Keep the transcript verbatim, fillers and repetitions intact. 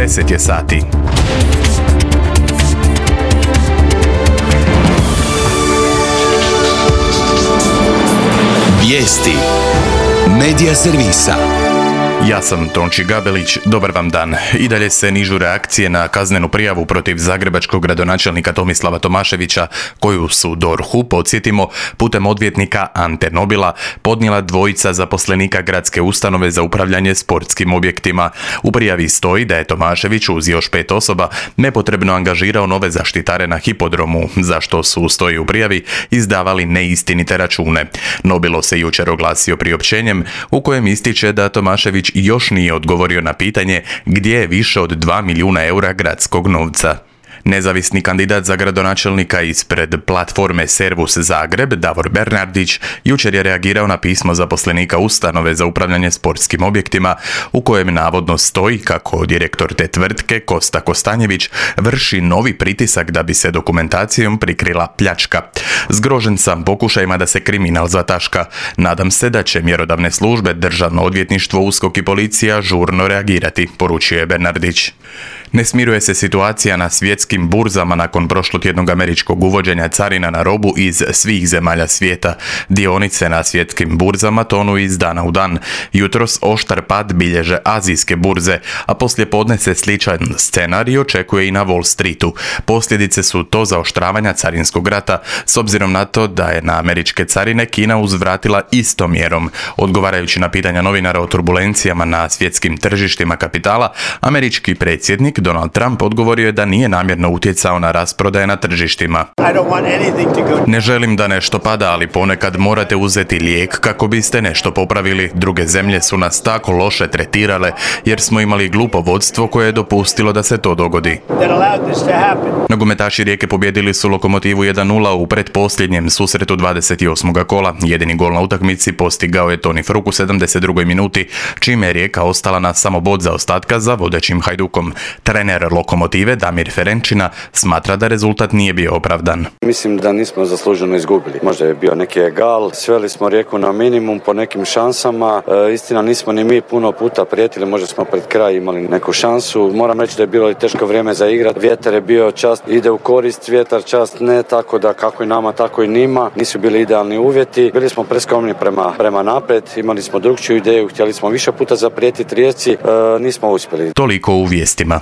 deset je sati. Vijesti Medija servisa. Ja sam Tonči Gabelić, dobar vam dan. I dalje se nižu reakcije na kaznenu prijavu protiv zagrebačkog gradonačelnika Tomislava Tomaševića, koju su D O R H-u, podsjetimo, putem odvjetnika Ante Nobila podnijela dvojica zaposlenika gradske ustanove za upravljanje sportskim objektima. U prijavi stoji da je Tomašević uz još pet osoba nepotrebno angažirao nove zaštitare na hipodromu, za što su, stoji u prijavi, izdavali neistinite račune. Nobilo se jučer oglasio priopćenjem u kojem ističe da Tomašević još nije odgovorio na pitanje gdje je više od dva milijuna eura gradskog novca. Nezavisni kandidat za gradonačelnika ispred platforme Servus Zagreb, Davor Bernardić, jučer je reagirao na pismo zaposlenika ustanove za upravljanje sportskim objektima, u kojem navodno stoji kako direktor te tvrtke, Kosta Kostanjević, vrši novi pritisak da bi se dokumentacijom prikrila pljačka. Zgrožen sam pokušajima da se kriminal zataška. Nadam se da će mjerodavne službe, Državno odvjetništvo, USKOK i policija žurno reagirati, poručio je Bernardić. Ne smiruje se situacija na svjetskim burzama nakon prošlotjednog američkog uvođenja carina na robu iz svih zemalja svijeta. Dionice na svjetskim burzama tonu iz dana u dan. Jutros oštar pad bilježe azijske burze, a poslijepodne se sličan scenarij očekuje i na Wall Streetu. Posljedice su to zaoštravanja carinskog rata, s obzirom na to da je na američke carine Kina uzvratila istom mjerom. Odgovarajući na pitanja novinara o turbulencijama na svjetskim tržištima kapitala, američki predsjednik Donald Trump odgovorio je da nije namjerno utjecao na rasprodaje na tržištima. Ne želim da nešto pada, ali ponekad morate uzeti lijek kako biste nešto popravili. Druge zemlje su nas tako loše tretirale jer smo imali glupo vodstvo koje je dopustilo da se to dogodi. Nogometaši Rijeke pobijedili su Lokomotivu jedan nula u pretposljednjem susretu dvadeset osmog kola. Jedini gol na utakmici postigao je Toni Fruk u sedamdeset drugoj minuti, čime je Rijeka ostala na samo bod zaostatka za vodećim Hajdukom. Trener Lokomotive Damir Ferenčina smatra da rezultat nije bio opravdan. Mislim da nismo zasluženo izgubili. Možda je bio neki egal, sveli smo Rijeku na minimum po nekim šansama. E, istina, nismo ni mi puno puta prijetili, možda smo pred kraj imali neku šansu. Moram reći da je bilo i teško vrijeme za igrat. Vjetar je bio, čast ide u korist, vjetar čast ne, tako da kako i nama, tako i njima. Nisu bili idealni uvjeti. Bili smo preskromni prema, prema naprijed, imali smo drugčiju ideju, htjeli smo više puta zaprijetiti Rijeci, e, nismo uspjeli. Toliko u vijestima.